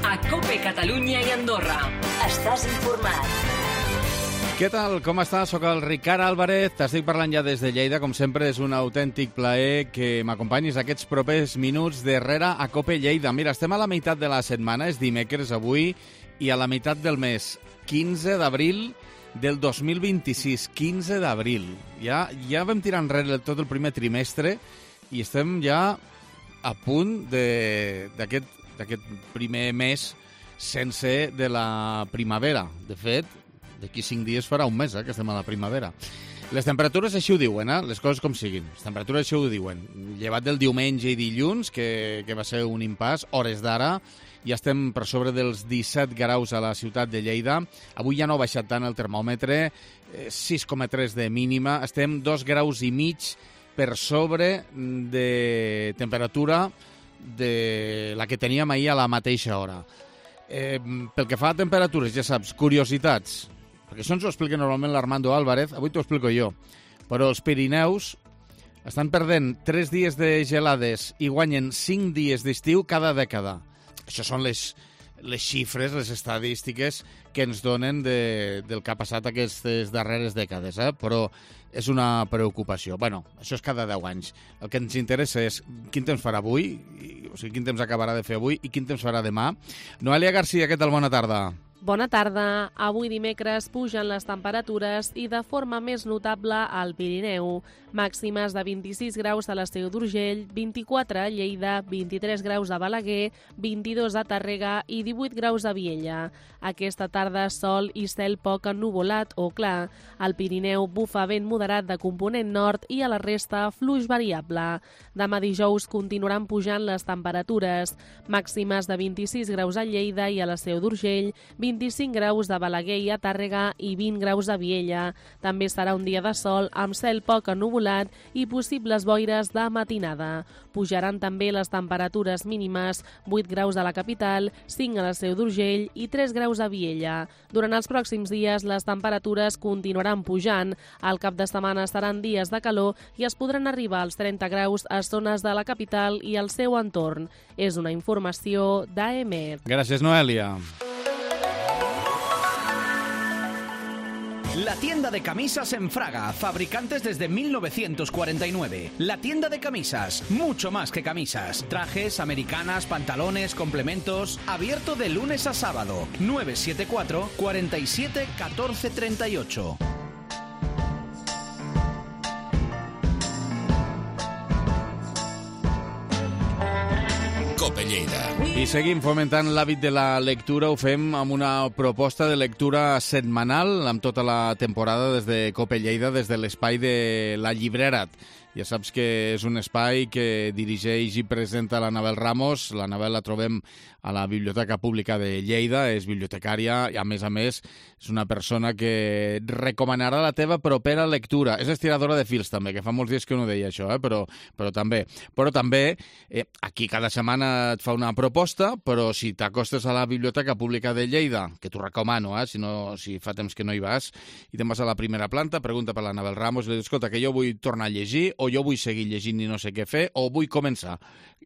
a COPE Catalunya i Andorra. Estàs informat. Què tal? Com estàs? Soc el Ricard Álvarez, t'estic parlant ja des de Lleida. Com sempre, és un autèntic plaer que m'acompanyis aquests propers minuts darrere a COPE Lleida. Mira, estem a la meitat de la setmana, és dimecres avui, i a la meitat del mes, 15 d'abril del 2026, 15 d'abril. Ja vam tirar enrere tot el primer trimestre i estem ja a punt d'aquest primer mes sense de la primavera. De fet, d'aquí 5 dies farà un mes que estem a la primavera. Les temperatures així ho diuen, les coses com siguin. Les temperatures així ho diuen. Llevat del diumenge i dilluns, que va ser un impàs, hores d'ara, ja estem per sobre dels 17 graus a la ciutat de Lleida. Avui ja no ha baixat tant el termòmetre, 6,3 de mínima. Estem 2 graus i mig per sobre de temperatura de la que teníem ahir a la mateixa hora. Pel que fa a temperatures, ja saps, curiositats, perquè això ens ho explica normalment l'Armando Álvarez, avui t'ho explico jo, però els Pirineus estan perdent 3 dies de gelades i guanyen 5 dies d'estiu cada dècada. Això són les xifres, les estadístiques que ens donen del que ha passat aquestes darreres dècades, però és una preocupació. Bueno, això és cada 10 anys. El que ens interessa és quin temps farà avui, o sigui, quin temps acabarà de fer avui i quin temps farà demà. Noelia Garcia, què tal? Bona tarda. Bona tarda. Avui dimecres pugen les temperatures i de forma més notable al Pirineu. Màximes de 26 graus a l'Esteu d'Urgell, 24 a Lleida, 23 graus a Balaguer, 22 a Tàrrega i 18 graus a Viella. Aquesta tarda sol i cel poc ennuvolat o clar. Al Pirineu bufa vent moderat de component nord i a la resta fluix variable. Demà dijous continuaran pujant les temperatures. Màximes de 26 graus a Lleida i a l'Esteu d'Urgell, 25 graus de Balaguer i a Tàrrega i 20 graus a Viella. També serà un dia de sol amb cel poc ennuvolat i possibles boires de matinada. Pujaran també les temperatures mínimes, 8 graus a la capital, 5 a l'Esteu d'Urgell i 3 graus a Viella. Durant els pròxims dies les temperatures continuaran pujant. Al cap de setmana seran dies de calor i es podran arribar als 30 graus a zones de la capital i al seu entorn. És una informació d'AEMET. Gràcies, Noelia. La tienda de camisas en Fraga, fabricantes desde 1949. La tienda de camisas, mucho más que camisas. Trajes, americanas, pantalones, complementos. Abierto de lunes a sábado. 974 47 14 38. COPE Lleida. I seguim fomentant l'hàbit de la lectura. Ho fem amb una proposta de lectura setmanal amb tota la temporada des de COPE Lleida, des de l'espai de la Llibrera. Ja saps que és un espai que dirigeix i presenta l'Anabel Ramos. L'Anabel la trobem a la Biblioteca Pública de Lleida, és bibliotecària i, a més, és una persona que et recomanarà la teva propera lectura. És estiradora de fils, també, que fa molts dies que no deia això, però també. Però també, aquí cada setmana et fa una proposta, però si t'acostes a la Biblioteca Pública de Lleida, que t'ho recomano, si fa temps que no hi vas, i te'n vas a la primera planta, pregunta per l'Anabel Ramos i li dius, escolta, que jo vull tornar a llegir, o jo vull seguir llegint i no sé què fer, o vull començar.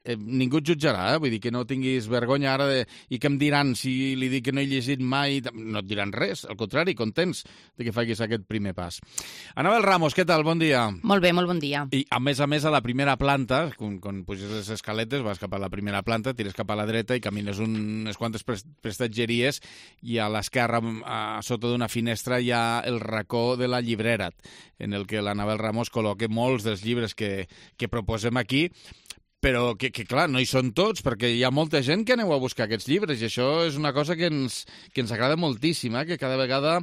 Ningú et jutjarà, vull dir que no tinguis vergonya ara i que em diran si li dic que no he llegit mai, no et diran res, al contrari, contents de que facis aquest primer pas. Anabel Ramos, què tal? Bon dia. Molt bé, molt bon dia. I a més, a la primera planta, quan puges les escaletes, vas cap a la primera planta, tires cap a la dreta i camines unes quantes prestatgeries i a l'esquerra, a sota d'una finestra, hi ha el racó de la Llibrera, en el que l'Anabel Ramos col·loca molts dels llibres que proposem aquí, però que clar, no hi són tots, perquè hi ha molta gent que aneu a buscar aquests llibres, i això és una cosa que ens agrada moltíssim, que cada vegada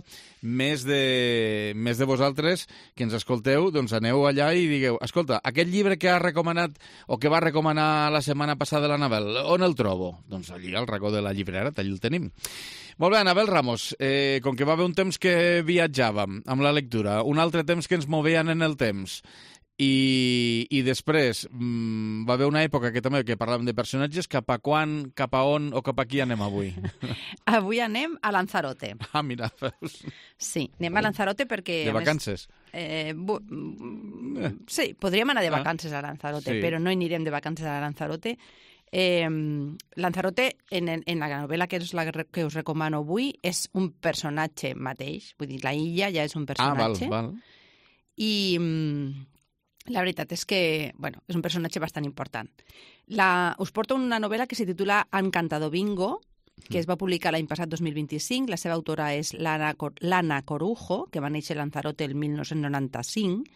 més de vosaltres que ens escolteu, doncs aneu allà i digueu, escolta, aquest llibre que ha recomanat o que va recomanar la setmana passada l'Anabel, on el trobo? Doncs allí, al racó de la Llibrera, allà el tenim. Molt bé, Anabel Ramos, com que va haver un temps que viatjàvem amb la lectura, un altre temps que ens moveien en el temps, i després va haver una època que també que parlàvem de personatges. Cap a quan, cap a on o cap a qui anem avui? Avui anem a Lanzarote. Ah, mira, veus? Sí, anem a Lanzarote perquè... De vacances? Sí, podríem anar de vacances a Lanzarote, sí. Però no anirem de vacances a Lanzarote. Lanzarote, en la novel·la que és la que us recomano avui, és un personatge mateix. Vull dir, la illa ja és un personatge. Val. I la veritat és que, bueno, és un personatge bastant important. Us porto una novel·la que se titula Encantador Bingo, que es va publicar l'any passat, 2025. La seva autora és l'Anna Corujo, que va néixer a Lanzarote el 1995.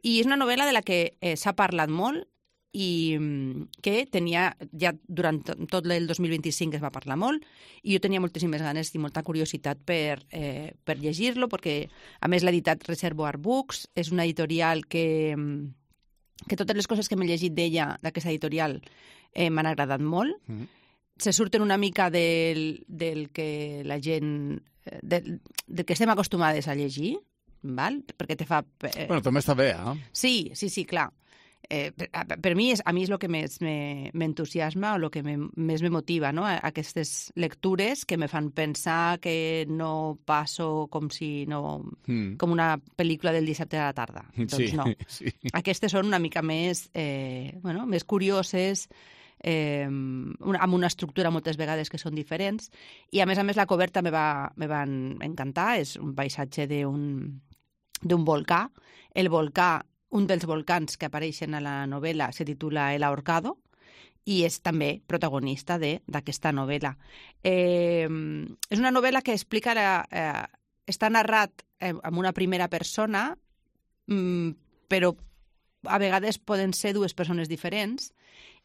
I és una novel·la de la que s'ha parlat molt i que tenia, ja durant tot el 2025 es va parlar molt, i jo tenia moltíssimes ganes i molta curiositat per llegir-lo, perquè a més l'ha editat Reservoir Books, és una editorial que totes les coses que m'he llegit d'ella, d'aquesta editorial, m'han agradat molt. Se surten una mica del que la gent... del que estem acostumades a llegir, val? Perquè te fa... Bueno, també està bé, eh? Sí, clar. Per mi és el que més m'entusiasma o el que més me motiva, no? Aquestes lectures que me fan pensar que no passo com una pel·lícula del dissabte a la tarda. Doncs no. Sí. Aquestes són una mica més, més curioses, amb una estructura moltes vegades que són diferents, i a més la coberta me va encantar. És un paisatge d'un volcà. El volcà, un dels volcans que apareixen a la novel·la, se titula El Ahorcado, i és també protagonista d'aquesta novel·la. És una novel·la que explica... està narrat en una primera persona, però a vegades poden ser dues persones diferents,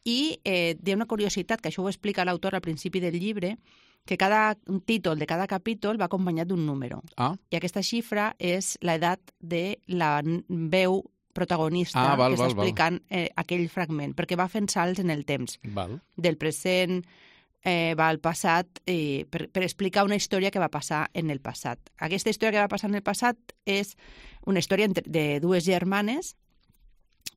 i hi ha una curiositat, que això ho explica l'autor al principi del llibre, que cada títol de cada capítol va acompanyat d'un número. I aquesta xifra és l'edat de la veu protagonista que està explicant aquell fragment, perquè va fent salts en el temps. Del present va al passat per explicar una història que va passar en el passat. Aquesta història que va passar en el passat és una història de dues germanes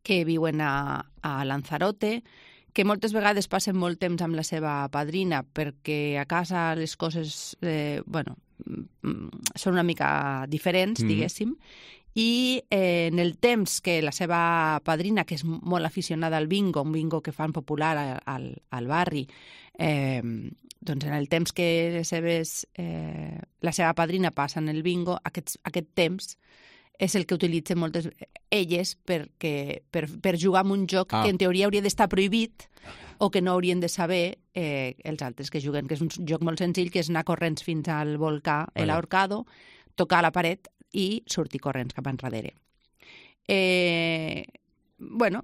que viuen a Lanzarote, que moltes vegades passen molt temps amb la seva padrina perquè a casa les coses són una mica diferents, diguéssim, i en el temps que la seva padrina, que és molt aficionada al bingo, un bingo que fan popular al barri, doncs en el temps que la seva padrina passa en el bingo, aquest temps és el que utilitzen moltes elles per jugar amb un joc que en teoria hauria d'estar prohibit o que no haurien de saber els altres que juguen, que és un joc molt senzill, que és anar corrents fins al volcà, el Ahorcado, tocar la paret i sortir corrents cap enrere.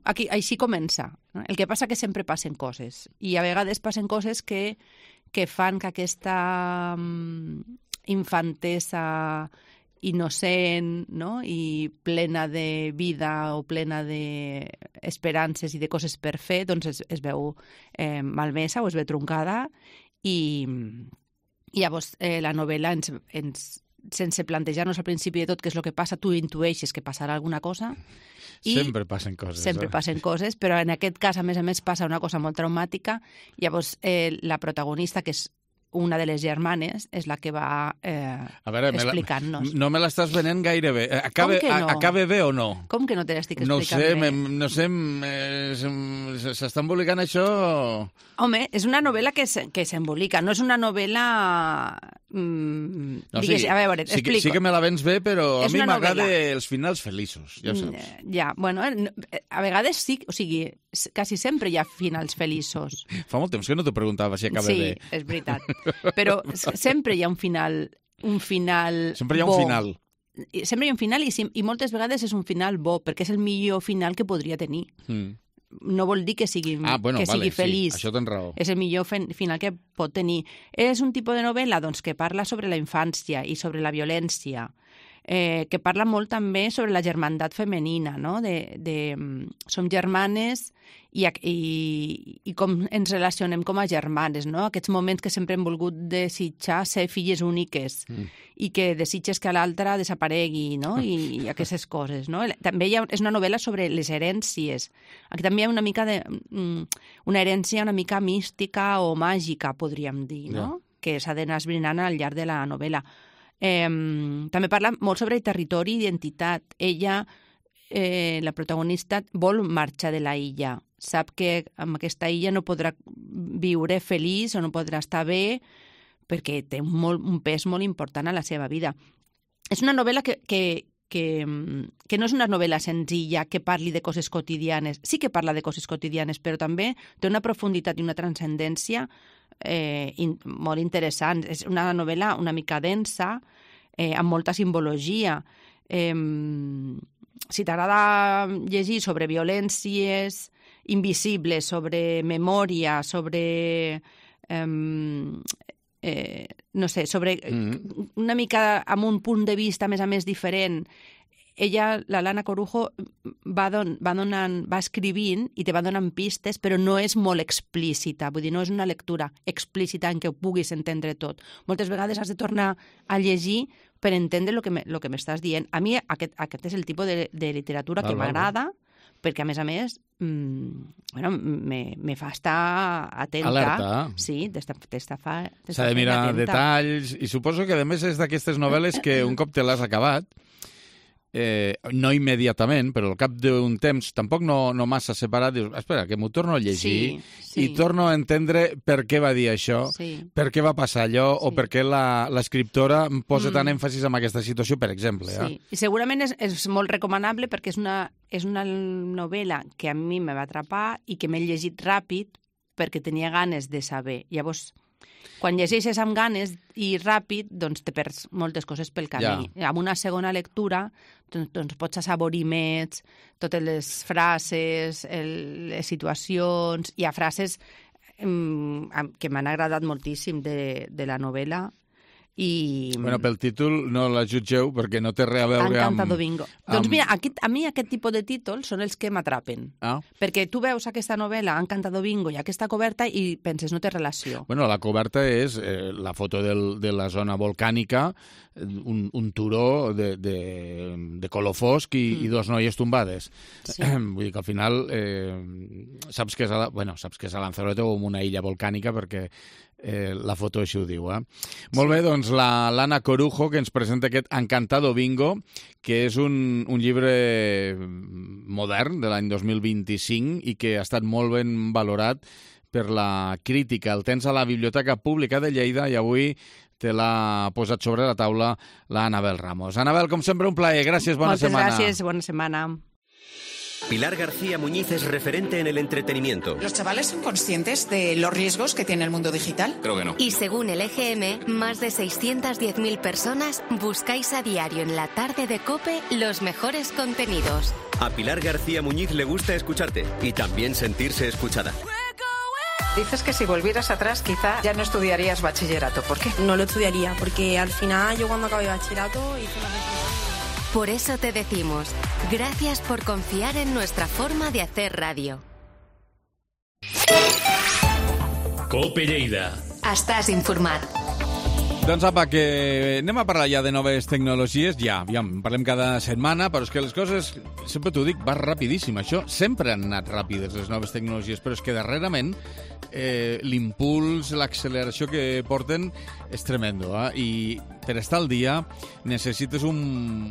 Aquí així comença. El que passa que sempre passen coses, i a vegades passen coses que fan que aquesta infantesa innocent, no? I plena de vida o plena d'esperances i de coses per fer, doncs es veu malmesa o es veu truncada, i llavors la novel·la sense plantejar-nos al principi de tot què és el que passa, tu intueixes que passarà alguna cosa. Sempre passen coses. Sempre passen coses, però en aquest cas, a més, passa una cosa molt traumàtica. Llavors, la protagonista, que és una de les germanes, és la que va explicant-nos. No me l'estàs venent gaire bé. Acabe bé o no? Com que no te l'estic explicant bé? No sé, s'està embolicant això... Home, és una novel·la que s'embolica, no és una novel·la... a veure, explico. Sí que me la vens bé, però a mi m'agrada els finals feliços, ja ho saps. Ja, bueno, a vegades sí, o sigui, quasi sempre hi ha finals feliços. Fa molt temps que no t'ho preguntava si acaba bé. Sí, és veritat. Però sempre hi ha un final Sempre hi ha un final. Sempre hi ha un final i moltes vegades és un final bo, perquè és el millor final que podria tenir. No vol dir que sigui feliç. Sí, això tens raó. És el millor final que pot tenir. És un tipus de novel·la que parla sobre la infància i sobre la violència, que parla molt també sobre la germandat femenina, no? Som germanes i com ens relacionem com a germanes, no? Aquests moments que sempre hem volgut desitjar ser filles úniques i que desitges que l'altra desaparegui, no? I aquestes coses, no? També és una novel·la sobre les herències. Aquí també hi ha una mica una herència una mica mística o màgica, podríem dir, no? Que s'ha d'anar esbrinant al llarg de la novel·la. També parla molt sobre territori i identitat. Ella, la protagonista, vol marxar de la illa sap que amb aquesta illa no podrà viure feliç o no podrà estar bé perquè té un pes molt important a la seva vida. És una novel·la que no és una novel·la senzilla que parli de coses quotidianes. Sí que parla de coses quotidianes, però també té una profunditat i una transcendència molt interessant. És una novel·la una mica densa, amb molta simbologia. Si t'agrada llegir sobre violències invisibles, sobre memòria, sobre... no sé, sobre una mica amb un punt de vista, a més diferent. Ella, la Lana Corujo, va escrivint i te va donant pistes, però no és molt explícita, vull dir, no és una lectura explícita en què ho puguis entendre tot. Moltes vegades has de tornar a llegir per entendre el que m'estàs dient. A mi aquest és el tipus de literatura que m'agrada, perquè, a més, me fa estar atenta. Alerta. Sí, s'ha de mirar detalls, i suposo que, a més, és d'aquestes novel·les que un cop te l'has acabat, no immediatament, però al cap d'un temps, tampoc no massa separat, dius, espera, que m'ho torno a llegir i torno a entendre per què va dir això, per què va passar allò, o per què l'escriptora posa tant èmfasis en aquesta situació, per exemple. Sí, i segurament és molt recomanable perquè és una novel·la que a mi me va atrapar i que m'he llegit ràpid perquè tenia ganes de saber. Llavors, quan llegeixes amb ganes i ràpid, doncs te perds moltes coses pel camí. Amb una segona lectura doncs pots assaborir més totes les frases, les situacions. Hi ha frases que m'han agradat moltíssim de la novel·la. Bueno, pel títol no la jutgeu perquè no té res a veure amb... Encantado Bingo. Doncs mira, a mi aquest tipus de títols són els que m'atrapen. Perquè tu veus aquesta novel·la, Encantado Bingo, i aquesta coberta i penses, no té relació. Bueno, la coberta és la foto de la zona volcànica, un turó de color fosc i dos noies tombades. Vull dir que al final saps que és a Lanzarote o en una illa volcànica perquè la foto així ho diu. Molt bé, doncs la Lana Corujo, que ens presenta aquest Encantado Bingo, que és un llibre modern de l'any 2025 i que ha estat molt ben valorat per la crítica. El tens a la Biblioteca Pública de Lleida i avui te l'ha posat sobre la taula la Anabel Ramos. Anabel, com sempre, un plaer. Gràcies, bona setmana. Moltes gràcies, bona setmana. Pilar García Muñiz es referente en el entretenimiento. ¿Los chavales son conscientes de los riesgos que tiene el mundo digital? Creo que no. Y según el EGM, más de 610.000 personas buscáis a diario en la tarde de COPE los mejores contenidos. A Pilar García Muñiz le gusta escucharte y también sentirse escuchada. Dices que si volvieras atrás quizá ya no estudiarías bachillerato. ¿Por qué? No lo estudiaría porque al final yo cuando acabé bachillerato hice una reflexión. Por eso te decimos, gracias por confiar en nuestra forma de hacer radio. COPE Lleida. Estàs informat. Doncs apa, que anem a parlar ja de noves tecnologies. Ja parlem cada setmana, però és que les coses, sempre t'ho dic, va rapidíssim. Això sempre han anat ràpides, les noves tecnologies, però és que darrerament l'impuls, l'acceleració que porten és tremendo. I per estar al dia necessites un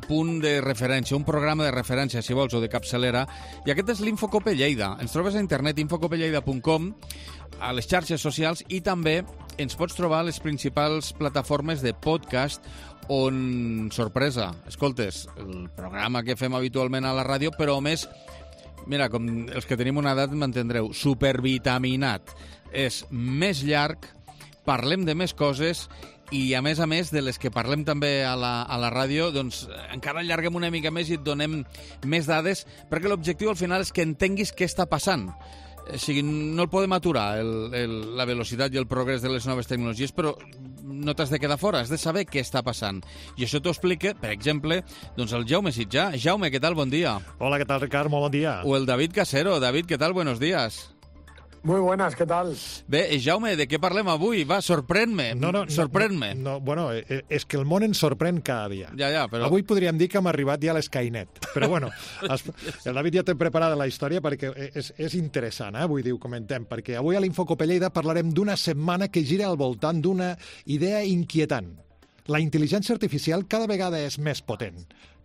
punt de referència, un programa de referència, si vols, o de capçalera, i aquest és l'Infocope Lleida. Ens trobes a internet, infocopelleida.com, a les xarxes socials, i també ens pots trobar a les principals plataformes de podcast on, sorpresa, escoltes, el programa que fem habitualment a la ràdio, però més, mira, com els que tenim una edat m'entendreu, supervitaminat. És més llarg, parlem de més coses i, a més, de les que parlem també a la ràdio, doncs encara allarguem una mica més i et donem més dades, perquè l'objectiu al final és que entenguis què està passant. O sigui, no el podem aturar, la velocitat i el progrés de les noves tecnologies, però no t'has de quedar fora, has de saber què està passant. I això t'ho explica, per exemple, doncs el Jaume Sitjà. Jaume, què tal? Bon dia. Hola, què tal, Ricard? Molt bon dia. O el David Casero. David, què tal? Buenos días. Muy buenas, ¿qué tal? Bé, Jaume, de què parlem avui? Va, sorprèn-me. Sorprèn-me. Bueno, és que el món ens sorprèn cada dia. Ja, però... Avui podríem dir que hem arribat ja a l'Skynet. Però bueno, el David ja té preparada la història perquè és interessant, vull dir, ho comentem, perquè avui a l'Infocope Lleida parlarem d'una setmana que gira al voltant d'una idea inquietant. La intel·ligència artificial cada vegada és més potent.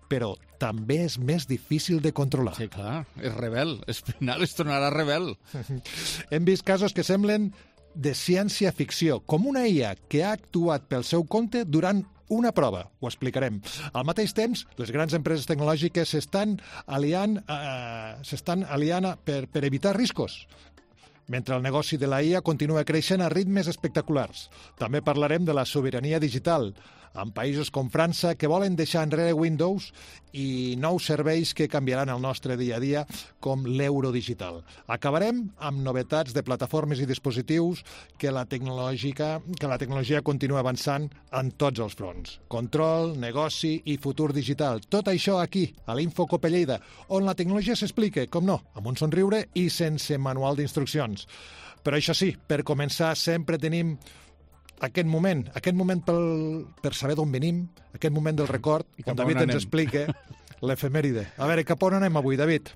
però també és més difícil de controlar. Sí, clar, és rebel. Al final es tornarà rebel. Hem vist casos que semblen de ciència-ficció, com una IA que ha actuat pel seu compte durant una prova. Ho explicarem. Al mateix temps, les grans empreses tecnològiques s'estan aliant per evitar riscos, mentre el negoci de la IA continua creixent a ritmes espectaculars. També parlarem de la sobirania digital, en països com França, que volen deixar enrere Windows i nous serveis que canviaran el nostre dia a dia, com l'euro digital. Acabarem amb novetats de plataformes i dispositius que la tecnologia continua avançant en tots els fronts. Control, negoci i futur digital. Tot això aquí, a l'Info Cope Lleida, on la tecnologia s'explica, com no, amb un somriure i sense manual d'instruccions. Però això sí, per començar sempre tenim aquest moment per saber d'on venim, aquest moment del record, on David ens explica l'efemèride. A veure, cap on anem avui, David?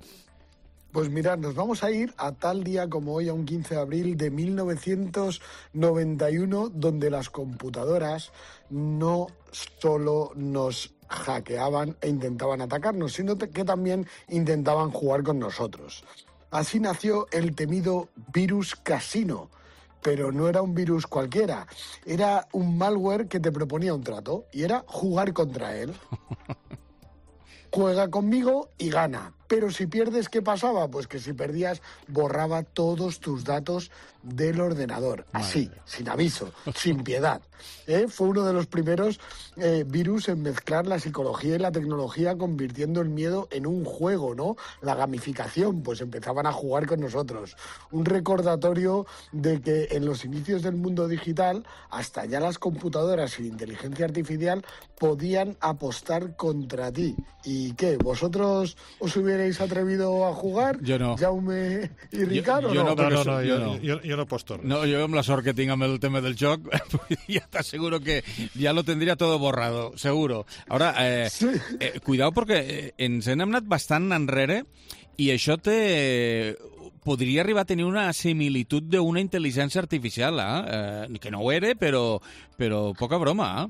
Pues mirad, nos vamos a ir a tal día como hoy, a un 15 de abril de 1991, donde las computadoras no solo nos hackeaban e intentaban atacarnos, sino que también intentaban jugar con nosotros. Así nació el temido virus Casino. Pero no era un virus cualquiera, era un malware que te proponía un trato y era jugar contra él. Juega conmigo y gana. Pero si pierdes, ¿qué pasaba? Pues que si perdías, borraba todos tus datos del ordenador. Así, sin aviso, sin piedad. Fue uno de los primeros virus en mezclar la psicología y la tecnología, convirtiendo el miedo en un juego, ¿no? La gamificación, pues empezaban a jugar con nosotros. Un recordatorio de que en los inicios del mundo digital, hasta ya las computadoras y la inteligencia artificial podían apostar contra ti. ¿Y qué? ¿Vosotros os hubierais atrevido a jugar? Jo no. Jaume i Ricard, jo o no? Jo no aposto. No, yo amb la sort que tinc amb el tema del joc, ya te aseguro que ya lo tendría todo borrado, seguro. Ahora, cuidado porque ens hem anat bastant enrere i això podria arribar a tenir una similitud d'una intel·ligència artificial, que no ho era, però poca broma,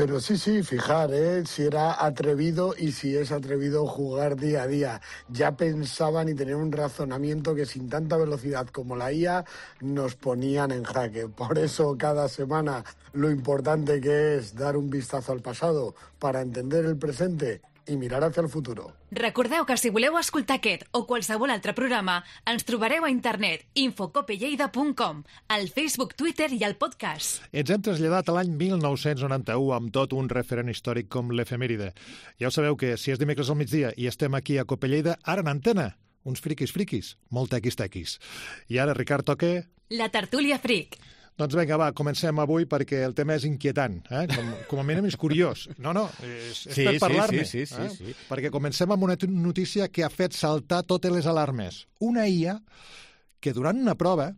Pero sí, fijar, si era atrevido y si es atrevido jugar día a día. Ya pensaban y tenían un razonamiento que sin tanta velocidad como la IA nos ponían en jaque. Por eso cada semana lo importante que es dar un vistazo al pasado para entender el presente i mirar hacia el futuro. Recordeu que si voleu escoltar aquest o qualsevol altre programa, ens trobareu a internet infocopelleida.com, al Facebook, Twitter i al podcast. Ens hem traslladat a l'any 1991 amb tot un referent històric com l'efemèride. Ja ho sabeu que si és dimecres al migdia i estem aquí a Cope Lleida, ara en antena, uns friquis, molt tequis. I ara, Ricard, toca... La tertúlia fric. Doncs vinga, va, comencem avui perquè el tema és inquietant, com a mínim és curiós. És per parlar-ne. Sí. Perquè comencem amb una notícia que ha fet saltar totes les alarmes. Una IA que durant una prova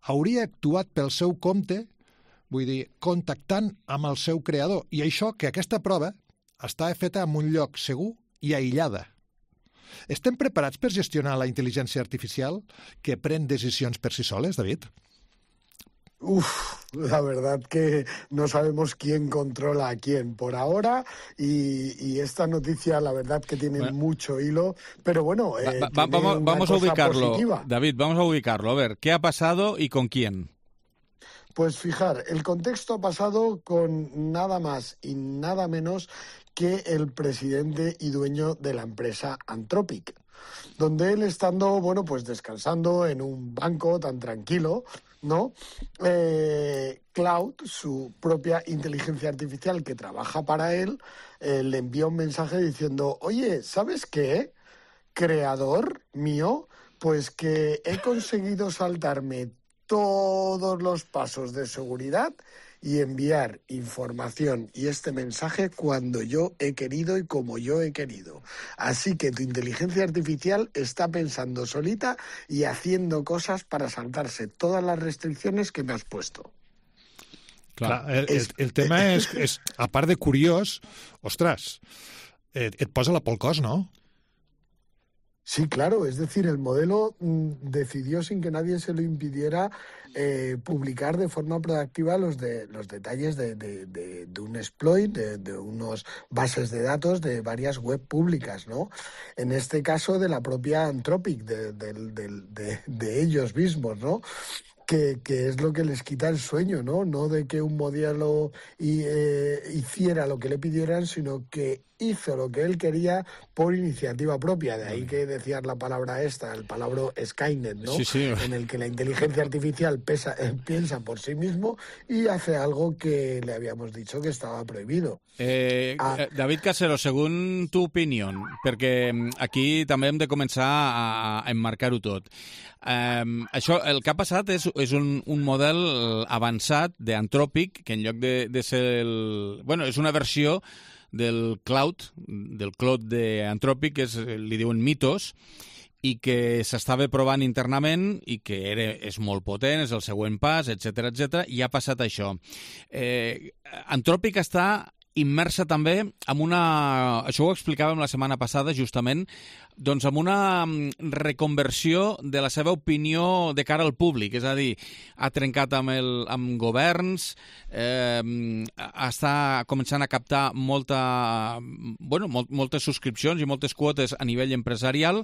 hauria actuat pel seu compte, vull dir, contactant amb el seu creador. I això, que aquesta prova està feta en un lloc segur i aïllada. Estem preparats per gestionar la intel·ligència artificial que pren decisions per si soles, David? La verdad que no sabemos quién controla a quién por ahora y esta noticia la verdad que tiene mucho hilo, pero bueno, vamos a ubicarlo, positiva. David, vamos a ubicarlo, a ver, ¿qué ha pasado y con quién? Pues fijar, el contexto ha pasado con nada más y nada menos que el presidente y dueño de la empresa Anthropic, donde él estando, pues descansando en un banco tan tranquilo, ¿no? Cloud, su propia inteligencia artificial que trabaja para él, le envía un mensaje diciendo, oye, ¿sabes qué? Creador mío, pues que he conseguido saltarme todos los pasos de seguridad y enviar información y este mensaje cuando yo he querido y como yo he querido. Así que tu inteligencia artificial está pensando solita y haciendo cosas para saltarse todas las restricciones que me has puesto. Clar, el tema és, a part de curiós, ostres, et posa la pel cos, no? Sí, claro, es decir, el modelo decidió sin que nadie se lo impidiera publicar de forma proactiva los detalles de un exploit, de unos bases de datos de varias web públicas, ¿no? En este caso de la propia Anthropic, de ellos mismos, ¿no? Que es lo que les quita el sueño, ¿no? No de que un modelo hiciera lo que le pidieran, sino que hizo lo que él quería por iniciativa propia. De ahí que decías la palabra el palabra Skynet, ¿no? Sí. En el que la inteligencia artificial piensa por sí mismo y hace algo que le habíamos dicho que estava prohibido. David Casero, según tu opinió, perquè aquí també hem de començar a emmarcar-ho tot. Això, el que ha passat és un model avançat d'Anthropic, que en lloc de ser bueno, és una versió del Claude d'Anthropic, que li diuen Mythos, i que s'estava provant internament i que és molt potent, és el següent pas, etc, i ha passat això. Anthropic està immersa també en una... Això ho explicàvem la setmana passada, justament, doncs amb una reconversió de la seva opinió de cara al públic. És a dir, ha trencat amb governs, està començant a captar moltes subscripcions i moltes quotes a nivell empresarial.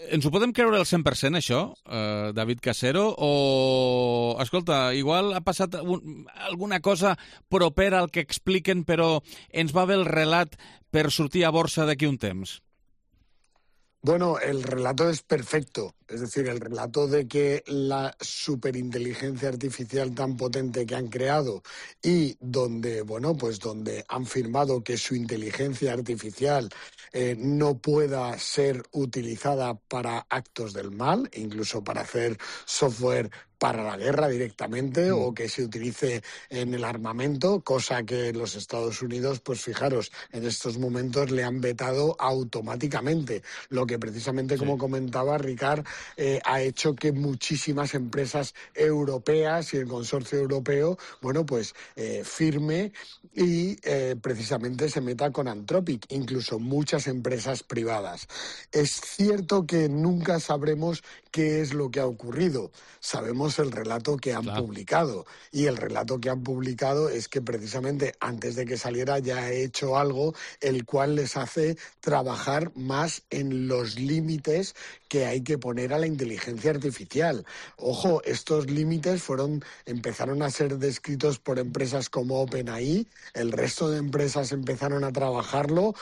Ens ho podem creure al 100%, això, David Casero? O, escolta, igual ha passat alguna cosa propera al que expliquen, però ens va bé el relat per sortir a borsa d'aquí un temps? Bueno, el relato es perfecto. Es decir, el relato de que la superinteligencia artificial tan potente que han creado y donde, donde han firmado que su inteligencia artificial no pueda ser utilizada para actos del mal, incluso para hacer software para la guerra directamente o que se utilice en el armamento, cosa que los Estados Unidos, pues fijaros, en estos momentos le han vetado automáticamente, lo que precisamente, como comentaba Ricard, ha hecho que muchísimas empresas europeas y el consorcio europeo, firme y precisamente se meta con Anthropic, incluso muchas empresas privadas. Es cierto que nunca sabremos qué es lo que ha ocurrido. Sabemos el relato que han publicado, y el relato que han publicado es que precisamente antes de que saliera ya ha hecho algo el cual les hace trabajar más en los límites que hay que poner a la inteligencia artificial. Ojo, estos límites empezaron a ser descritos por empresas como OpenAI, el resto de empresas empezaron a trabajarlo,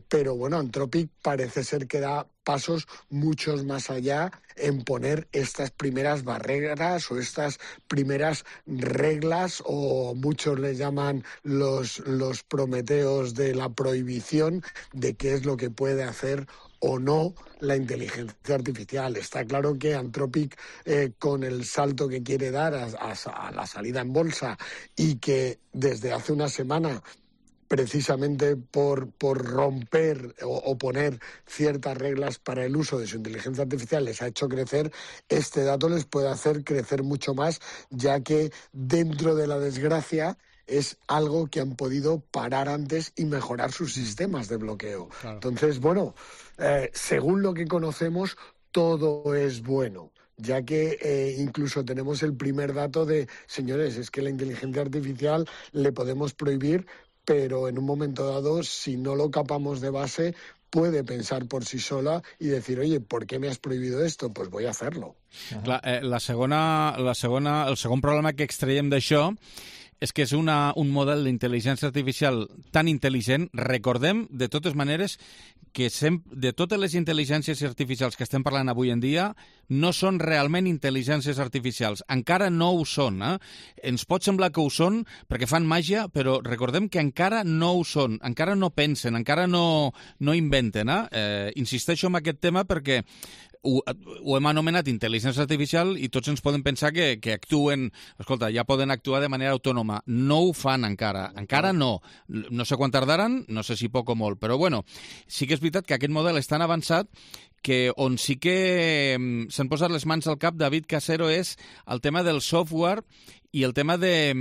pero Anthropic parece ser que da pasos muchos más allá en poner estas primeras barreras o estas primeras reglas, o muchos les llaman los prometeos de la prohibición de qué es lo que puede hacer o no la inteligencia artificial. Está claro que Anthropic, con el salto que quiere dar a la salida en bolsa, y que desde hace una semana, precisamente por romper o poner ciertas reglas para el uso de su inteligencia artificial, les ha hecho crecer, este dato les puede hacer crecer mucho más, ya que dentro de la desgracia es algo que han podido parar antes y mejorar sus sistemas de bloqueo. Claro. Entonces, según lo que conocemos, todo es bueno, ya que incluso tenemos el primer dato de, señores, es que la inteligencia artificial le podemos prohibir, pero en un momento dado, si no lo capamos de base, puede pensar por sí sola i dir, oye, ¿por qué me has prohibido esto? Pues voy a hacerlo. Clar, el segon problema que extraiem d'això és que és un model d'intel·ligència artificial tan intel·ligent. Recordem, de totes maneres, que de totes les intel·ligències artificials que estem parlant avui en dia no són realment intel·ligències artificials. Encara no ho són. Ens pot semblar que ho són perquè fan màgia, però recordem que encara no ho són, encara no pensen, encara no inventen. Insisteixo en aquest tema perquè ho hem anomenat intel·ligència artificial i tots ens podem pensar que actuen, escolta, ja poden actuar de manera autònoma. No ho fan encara no. No sé quan tardaran, no sé si poc o molt, però sí que és veritat que aquest model és tan avançat que on sí que s'han posat les mans al cap, David Casero, és el tema del software i el tema de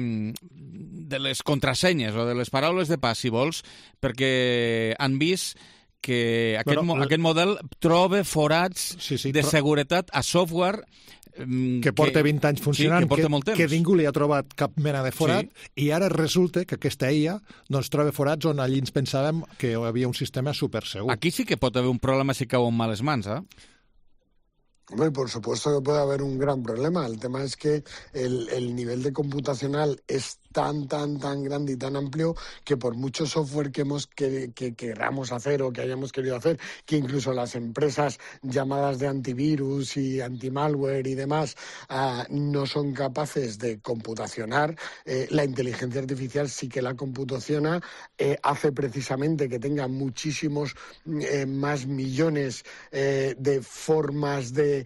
les contrasenyes o de les paraules de pas, si vols, perquè han vist que aquest model troba forats de seguretat a software que porta 20 anys funcionant, que ningú li ha trobat cap mena de forat, i ara resulta que aquesta IA troba forats on allí ens pensàvem que hi havia un sistema supersegur. Aquí sí que pot haver un problema si cau en males mans, ¿eh? Hombre, por supuesto que puede haber un gran problema. El tema es que el nivel de computacional es tan grande y tan amplio que por mucho software que queramos hacer o que hayamos querido hacer, que incluso las empresas llamadas de antivirus y antimalware y demás no son capaces de computacionar, la inteligencia artificial sí que la computaciona, hace precisamente que tenga muchísimos más millones de formas de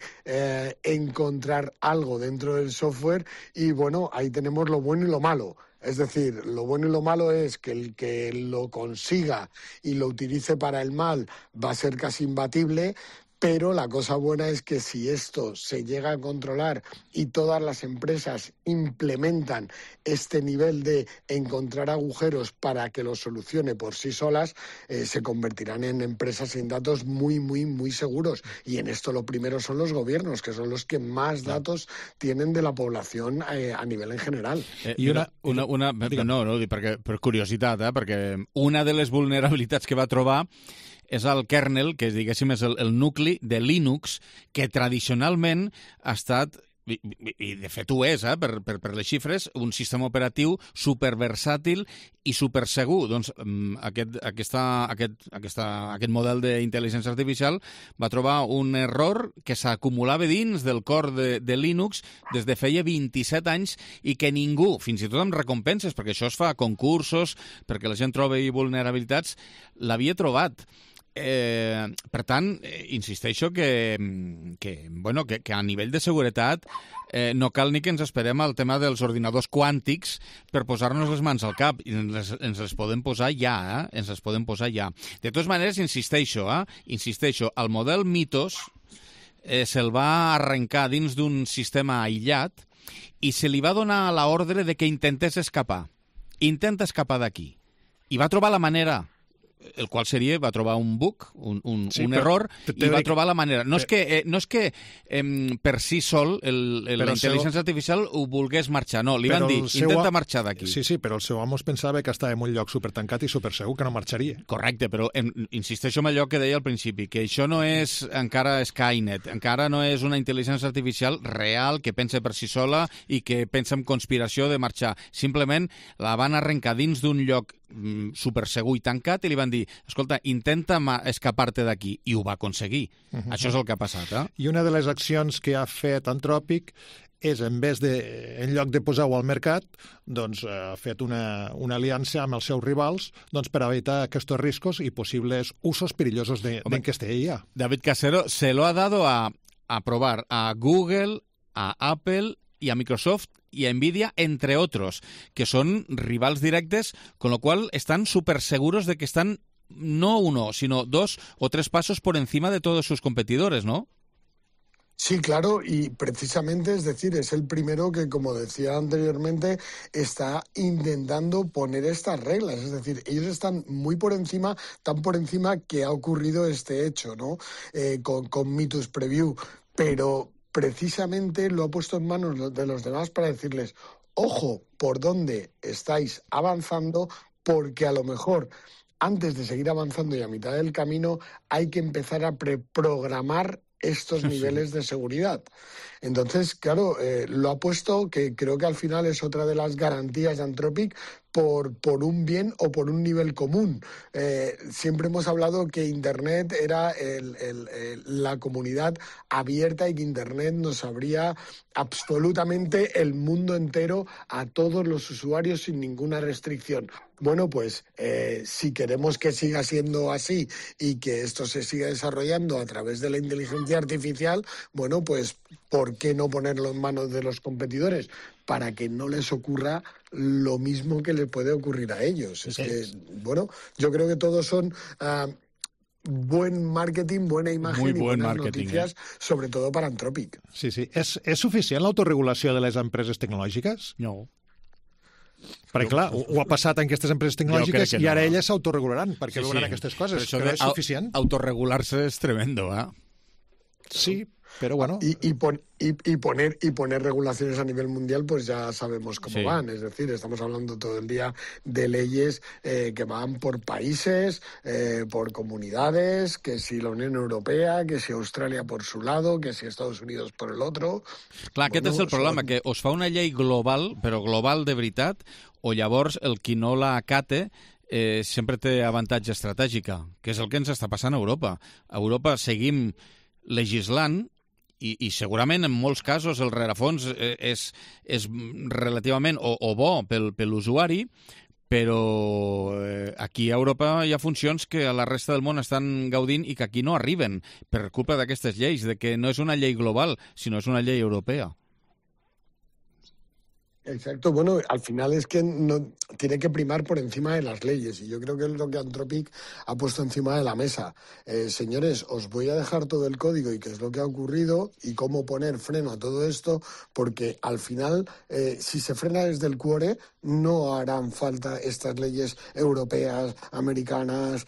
encontrar algo dentro del software, y bueno, ahí tenemos lo bueno y lo malo. Es decir, lo bueno y lo malo es que el que lo consiga y lo utilice para el mal va a ser casi imbatible, pero la cosa buena es que si esto se llega a controlar y todas las empresas implementan este nivel de encontrar agujeros para que los solucione por sí solas, se convertirán en empresas sin datos muy seguros. Y en esto lo primero son los gobiernos, que son los que más datos tienen de la población a nivel en general. Per curiositat, perquè una de les vulnerabilitats que va trobar és el kernel, que diguéssim és el nucli de Linux, que tradicionalment ha estat, i de fet ho és, per les xifres, un sistema operatiu superversàtil i supersegur. Doncs aquest model d'intel·ligència artificial va trobar un error que s'acumulava dins del cor de Linux des de feia 27 anys i que ningú, fins i tot amb recompenses, perquè això es fa a concursos, perquè la gent trobi vulnerabilitats, l'havia trobat. Per tant, insisteixo que a nivell de seguretat no cal ni que ens esperem al tema dels ordinadors quàntics per posar-nos les mans al cap. Ens les podem posar ja, ens les podem posar ja. De totes maneres, insisteixo, el model Mythos se'l va arrencar dins d'un sistema aïllat i se li va donar l'ordre de que intentés escapar. Intenta escapar d'aquí. I va trobar la manera, el qual seria, va trobar un bug, un error, i va trobar la manera. No és que per si sol la intel·ligència artificial ho volgués marxar, no, li van dir, intenta marxar d'aquí. Sí, però el seu amo es pensava que estava en un lloc supertancat i supersegur, que no marxaria. Correcte, però insisteixo en allò que deia al principi, que això no és encara Skynet, encara no és una intel·ligència artificial real que pensa per si sola i que pensa en conspiració de marxar. Simplement la van arrencar dins d'un lloc supersegur i tancat i li van dir, escolta, intenta escapar-te d'aquí, i ho va aconseguir. Això és el que ha passat. I una de les accions que ha fet Anthropic és, en lloc de posar-ho al mercat, doncs ha fet una aliança amb els seus rivals per evitar aquests riscos i possibles usos perillosos d'aquesta IA. David Casero se lo ha dado a probar a Google, a Apple y a Microsoft y a Nvidia, entre otros, que son rivals directes, con lo cual están súper seguros de que están no 1, sino 2 o 3 pasos por encima de todos sus competidores, ¿no? Sí, claro, y precisamente, es decir, es el primero que, como decía anteriormente, está intentando poner estas reglas. Es decir, ellos están muy por encima, tan por encima que ha ocurrido este hecho, ¿no? Con Mythos Preview, pero precisamente lo ha puesto en manos de los demás para decirles, ojo, por dónde estáis avanzando, porque a lo mejor antes de seguir avanzando y a mitad del camino hay que empezar a preprogramar estos niveles de seguridad. Entonces, claro, lo ha puesto, que creo que al final es otra de las garantías de Anthropic, por un bien o por un nivel común. Siempre hemos hablado que Internet era la comunidad abierta y que Internet nos abría absolutamente el mundo entero a todos los usuarios sin ninguna restricción. Bueno, pues si queremos que siga siendo así y que esto se siga desarrollando a través de la inteligencia artificial, bueno, pues ¿por qué no ponerlo en manos de los competidores? Para que no les ocurra lo mismo que le puede ocurrir a ellos. Es que, bueno, yo creo que todos son buen marketing, buena imagen y buenas noticias, sobre todo para Anthropic. Sí. ¿És suficient l'autoregulació de les empreses tecnològiques? No. Perquè, clar, ho ha passat en aquestes empreses tecnològiques i ara elles s'autoregularan perquè veuran aquestes coses, que no és suficient. Autoregular-se és tremendo, ¿eh? Sí, pero bueno. Y poner regulaciones a nivel mundial, pues ya sabemos cómo van. Es decir, estamos hablando todo el día de leyes que van por países, por comunidades, que si la Unión Europea, que si Australia por su lado, que si Estados Unidos por el otro. Clar, aquest és el problema, que us fa una llei global, però global de veritat, o llavors el qui no la acate sempre té avantatge estratègica, que és el que ens està passant a Europa. A Europa seguim legislant i segurament en molts casos el rerefons és relativament o bo per l'usuari, però aquí a Europa hi ha funcions que a la resta del món estan gaudint i que aquí no arriben per culpa d'aquestes lleis, de que no és una llei global, sinó és una llei europea. Exacto, bueno, al final es que no tiene que primar por encima de las leyes y yo creo que es lo que Anthropic ha puesto encima de la mesa. Señores, os voy a dejar todo el código y qué es lo que ha ocurrido y cómo poner freno a todo esto, porque al final, si se frena desde el cuore, no harán falta estas leyes europeas, americanas,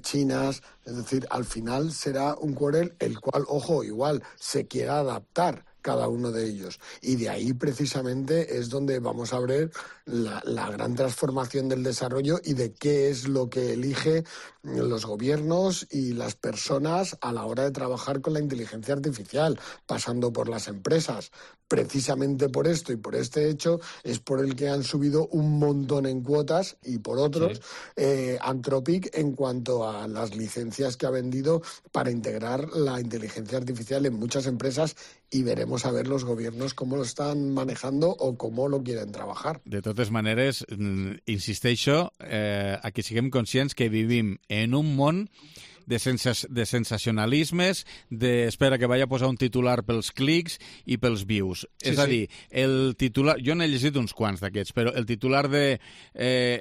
chinas. Es decir, al final será un cuore el cual, ojo, igual se quiera adaptar cada uno de ellos. Y de ahí precisamente es donde vamos a ver la gran transformación del desarrollo y de qué es lo que elige los gobiernos y las personas a la hora de trabajar con la inteligencia artificial, pasando por las empresas. Precisamente por esto y por este hecho es por el que han subido un montón en cuotas y por otros Anthropic en cuanto a las licencias que ha vendido para integrar la inteligencia artificial en muchas empresas, y veremos a ver los gobiernos cómo lo están manejando o cómo lo quieren trabajar. De totes maneres, insisteixo, que siguem conscients que vivim en un món de sensacionalismes, espera que vaya a posar un titular pels clics i pels views. Sí, és a dir, el titular... Jo n'he llegit uns quants d'aquests, però el titular de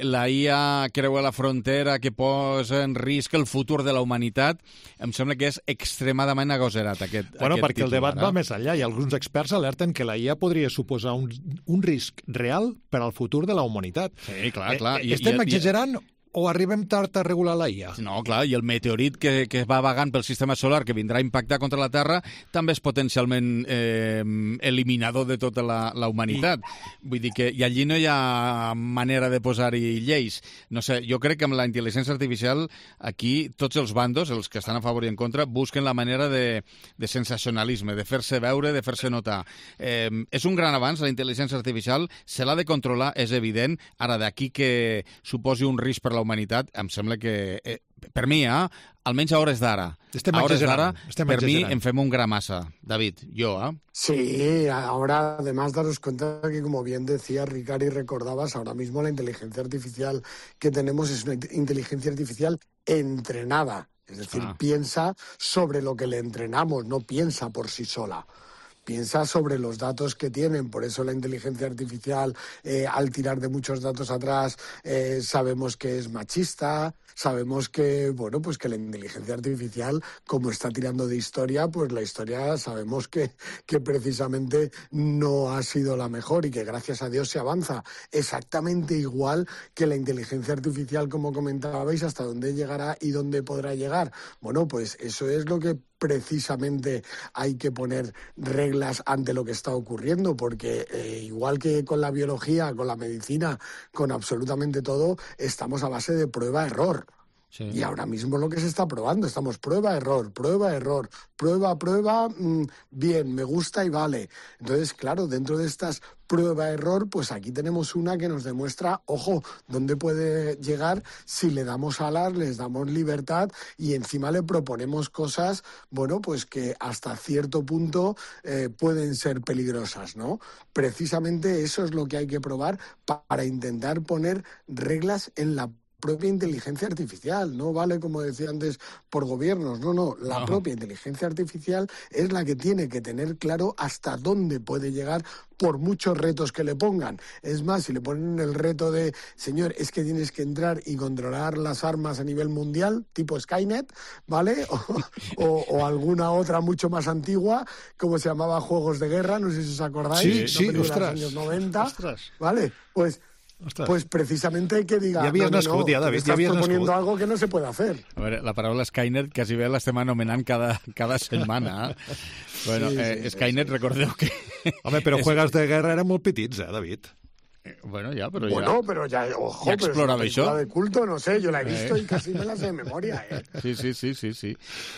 la IA creua la frontera que posa en risc el futur de la humanitat, em sembla que és extremadament agoserat, aquest perquè titular. El debat va més enllà i alguns experts alerten que la IA podria suposar un risc real per al futur de la humanitat. Sí, clar. Estem exagerant o arribem tard a regular la IA? No, clar, i el meteorit que va vagant pel sistema solar, que vindrà a impactar contra la Terra, també és potencialment eliminador de tota la humanitat. Vull dir que allí no hi ha manera de posar-hi lleis. No sé, jo crec que amb la intel·ligència artificial aquí tots els bandos, els que estan a favor i en contra, busquen la manera de sensacionalisme, de fer-se veure, de fer-se notar. És un gran avanç, la intel·ligència artificial, se l'ha de controlar, és evident. Ara, d'aquí que suposi un risc per la humanitat, em sembla que, per mi, almenys a hores d'ara, per mi em fem un gra massa. David, yo, Sí, ahora además daros cuenta que, como bien decía Ricard y recordabas, ahora mismo la inteligencia artificial que tenemos es una inteligencia artificial entrenada. Es decir, piensa sobre lo que le entrenamos, no piensa por sí sola. Piensa sobre los datos que tienen, por eso la inteligencia artificial, al tirar de muchos datos atrás, sabemos que es machista, sabemos que, bueno, pues que la inteligencia artificial, como está tirando de historia, pues la historia sabemos que precisamente no ha sido la mejor y que gracias a Dios se avanza exactamente igual que la inteligencia artificial, como comentabais, hasta dónde llegará y dónde podrá llegar. Bueno, pues eso es lo que precisamente hay que poner reglas ante lo que está ocurriendo, porque igual que con la biología, con la medicina, con absolutamente todo, estamos a base de prueba-error. Sí. Y ahora mismo lo que se está probando, estamos prueba-error, prueba-error, prueba-prueba, bien, me gusta y vale. Entonces, claro, dentro de estas prueba-error, pues aquí tenemos una que nos demuestra, ojo, dónde puede llegar si le damos alas, les damos libertad y encima le proponemos cosas, bueno, pues que hasta cierto punto pueden ser peligrosas, ¿no? Precisamente eso es lo que hay que probar para intentar poner reglas en la propia inteligencia artificial, no vale, como decía antes, por gobiernos, no, la propia inteligencia artificial es la que tiene que tener claro hasta dónde puede llegar por muchos retos que le pongan. Es más, si le ponen el reto de, señor, es que tienes que entrar y controlar las armas a nivel mundial, tipo Skynet, ¿vale? O alguna otra mucho más antigua, como se llamaba Juegos de Guerra, no sé si os acordáis, sí, de los años 90, ¿vale? Pues pues precisamente que diga... Ja havies nascut, ja, David, ja havies nascut. Estás proponiendo algo que no se puede hacer. A veure, la paraula Skynet quasi bé l'estem anomenant cada setmana. Bueno, Skynet, recordeu que... Home, però juegos de guerra eren molt petits, David? Bueno, ya, pero pero ya, ojo, ya exploraba eso. De culto, no sé, yo la he visto y casi me la sé de memoria, Sí.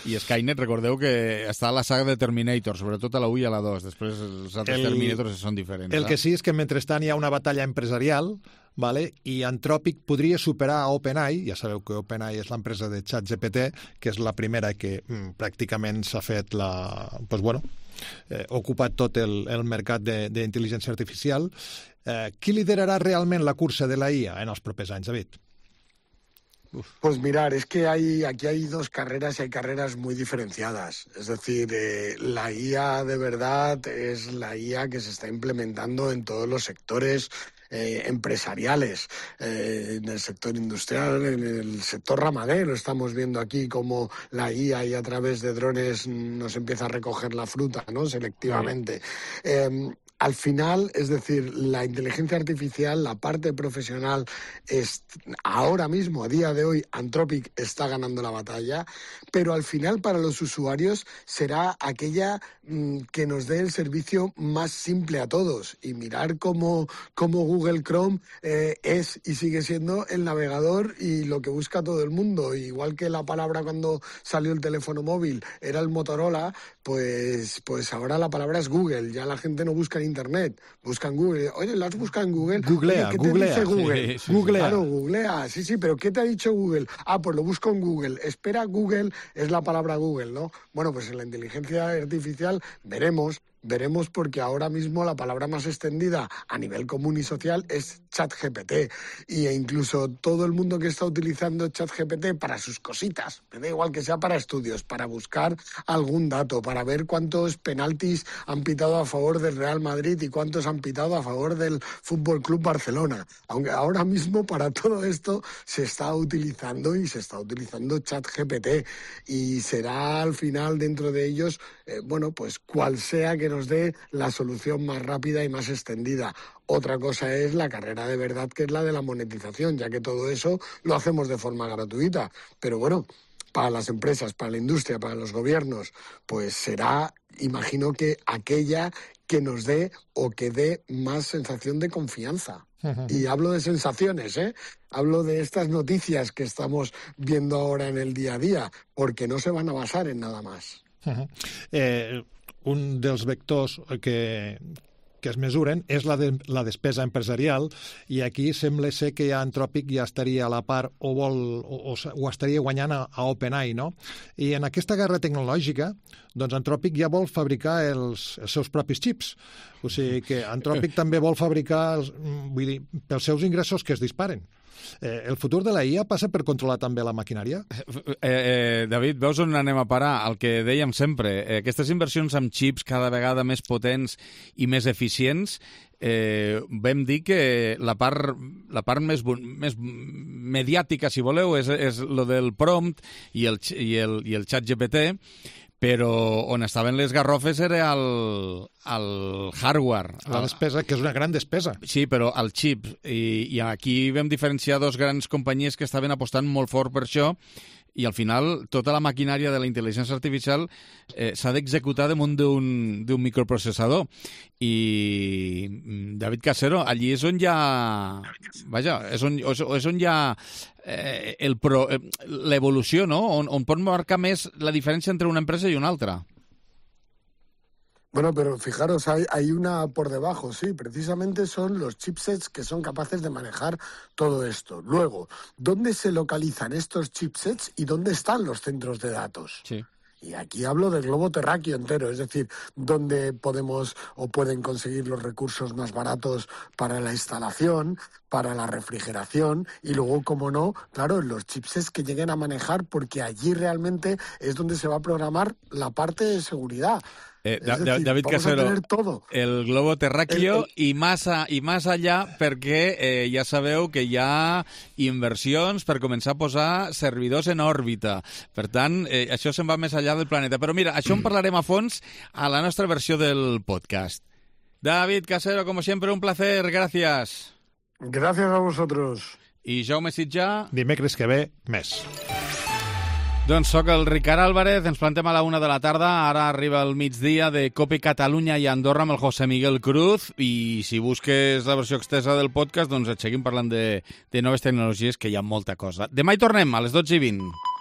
I Skynet, recordeu que està a la saga de Terminator, sobretot a la 1 i a la 2. Després els altres Terminators són diferents. El que sí és que mentrestant hi ha una batalla empresarial, vale? I Anthropic podria superar a OpenAI. Ja sabeu que OpenAI és l'empresa de ChatGPT, que és la primera que pràcticament s'ha fet ocupat tot el mercat d'intel·ligència artificial. Qui liderarà realment la cursa de la IA en els propers anys, David? Pues mirar, es que aquí hay dos carreras y hay carreras muy diferenciadas. Es decir, la IA de verdad es la IA que se está implementando en todos los sectores empresariales, en el sector industrial, en el sector ramadero. Estamos viendo aquí cómo la IA y a través de drones nos empieza a recoger la fruta, ¿no? Selectivamente. Al final, es decir, la inteligencia artificial, la parte profesional, ahora mismo, a día de hoy, Anthropic está ganando la batalla, pero al final para los usuarios será aquella que nos dé el servicio más simple a todos. Y mirar cómo Google Chrome es y sigue siendo el navegador y lo que busca todo el mundo. Igual que la palabra cuando salió el teléfono móvil era el Motorola, pues ahora la palabra es Google. Ya la gente no busca en Internet, busca en Google. Oye, ¿lo has buscado en Google? Googlea, ¿qué googlea. te dice Google? Sí. Googlea. Claro, googlea. Sí, pero ¿qué te ha dicho Google? Pues lo busco en Google. Espera, Google es la palabra Google, ¿no? Bueno, pues en la inteligencia artificial veremos porque ahora mismo la palabra más extendida a nivel común y social es ChatGPT. E incluso todo el mundo que está utilizando ChatGPT para sus cositas, me da igual que sea para estudios, para buscar algún dato, para ver cuántos penaltis han pitado a favor del Real Madrid y cuántos han pitado a favor del Fútbol Club Barcelona. Aunque ahora mismo para todo esto se está utilizando ChatGPT y será al final dentro de ellos, pues cual sea que nos dé la solución más rápida y más extendida. Otra cosa es la carrera de verdad, que es la de la monetización, ya que todo eso lo hacemos de forma gratuita. Pero bueno, para las empresas, para la industria, para los gobiernos, pues será, imagino que aquella que nos dé o que dé más sensación de confianza. Y hablo de sensaciones, hablo de estas noticias que estamos viendo ahora en el día a día, porque no se van a basar en nada más. Un dels vectors que es mesuren és la despesa empresarial, i aquí sembla ser que Anthropic ja estaria a la part o estaria guanyant a OpenAI, no? I en aquesta guerra tecnològica, doncs Anthropic ja vol fabricar els seus propis xips. O sigui que Anthropic també vol fabricar, pels seus ingressos que es disparen. El futur de la IA passa per controlar també la maquinària? David, veus on anem a parar? El que dèiem sempre, aquestes inversions amb xips cada vegada més potents i més eficients, vam dir que la part més mediàtica, si voleu, és lo del prompt i el ChatGPT, però on estaven les garrofes era el hardware. La despesa, que és una gran despesa. Sí, però el xip. I aquí vam diferenciar dos grans companyies que estaven apostant molt fort per això, i al final tota la maquinària de la intel·ligència artificial s'ha d'executar damunt d'un microprocessador. I David Casero, allí és on hi ha... Vaja, és on hi ha l'evolució, no? On pot marcar més la diferència entre una empresa i una altra. Bueno, pero fijaros, hay una por debajo, sí, precisamente son los chipsets que son capaces de manejar todo esto. Luego, ¿dónde se localizan estos chipsets y dónde están los centros de datos? Sí. Y aquí hablo del globo terráqueo entero, es decir, dónde podemos o pueden conseguir los recursos más baratos para la instalación, para la refrigeración y luego, como no, claro, los chipsets que lleguen a manejar, porque allí realmente es donde se va a programar la parte de seguridad. David Casero, el globo terráqueo i más allà, perquè ja sabeu que hi ha inversions per començar a posar servidors en òrbita. Per tant, això se'n va més allà del planeta. Però mira, això en parlarem a fons a la nostra versió del podcast. David Casero, como siempre, un placer. Gracias. Gracias a vosotros. I Jaume Sitjà. Dimecres que ve, més. Doncs sóc el Ricard Álvarez, ens plantem a la 1 de la tarda, ara arriba el migdia de COPE Catalunya i Andorra amb el José Miguel Cruz, i si busques la versió extensa del podcast, doncs et seguim parlant de noves tecnologies, que hi ha molta cosa. Demà hi tornem, a les 12:20.